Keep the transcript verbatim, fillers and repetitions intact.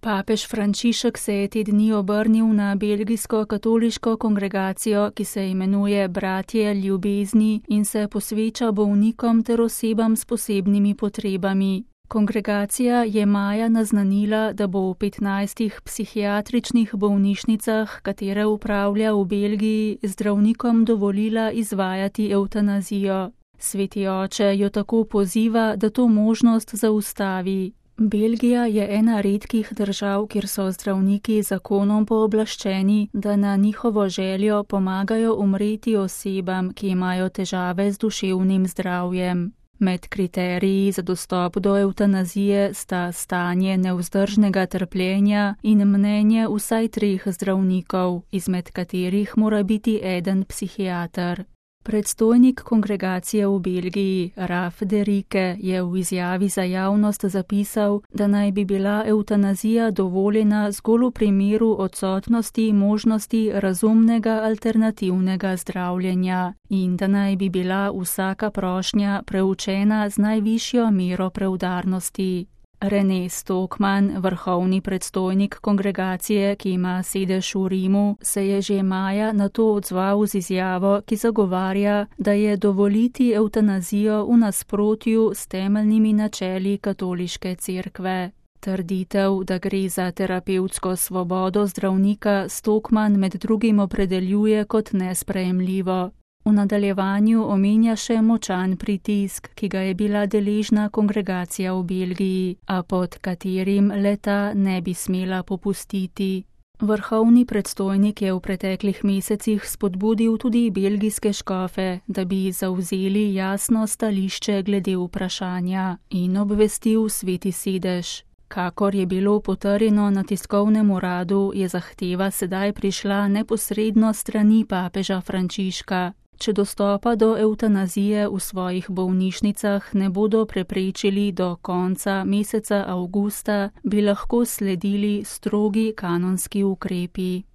Papež Frančišek se je te dni obrnil na belgijsko katoliško kongregacijo, ki se imenuje Bratje ljubezni in se posveča bolnikom ter osebam s posebnimi potrebami. Kongregacija je maja naznanila, da bo v petnajstih psihiatričnih bolnišnicah, katere upravlja v Belgiji, zdravnikom dovolila izvajati evtanazijo. Sveti oče jo tako poziva, da to možnost zaustavi. Belgija je ena redkih držav, kjer so zdravniki zakonom pooblaščeni, da na njihovo željo pomagajo umreti osebam, ki imajo težave z duševnim zdravjem. Med kriteriji za dostop do evtanazije sta stanje nevzdržnega trpljenja in mnenje vsaj treh zdravnikov, izmed katerih mora biti eden psihiater. Predstojnik kongregacije v Belgiji, Raf de Rike, je v izjavi za javnost zapisal, da naj bi bila evtanazija dovoljena zgolj v primeru odsotnosti možnosti razumnega alternativnega zdravljenja in da naj bi bila vsaka prošnja preučena z najvišjo mero preudarnosti. René Stokman, vrhovni predstojnik kongregacije, ki ima sedež v Rimu, se je že maja na to odzval z izjavo, ki zagovarja, da je dovoliti evtanazijo v nasprotju s temeljnimi načeli katoliške cerkve. Trditev, da gre za terapevtsko svobodo zdravnika, Stokman med drugim opredeljuje kot nesprejemljivo. V nadaljevanju omenja še močan pritisk, ki ga je bila deležna kongregacija v Belgiji, a pod katerim leta ne bi smela popustiti. Vrhovni predstojnik je v preteklih mesecih spodbudil tudi belgijske škofe, da bi zavzeli jasno stališče glede vprašanja in obvestil sveti sedež. Kakor je bilo potrjeno na tiskovnem uradu, je zahteva sedaj prišla neposredno strani papeža Frančiška. Če dostopa do evtanazije v svojih bolnišnicah ne bodo preprečili do konca meseca avgusta, bi lahko sledili strogi kanonski ukrepi.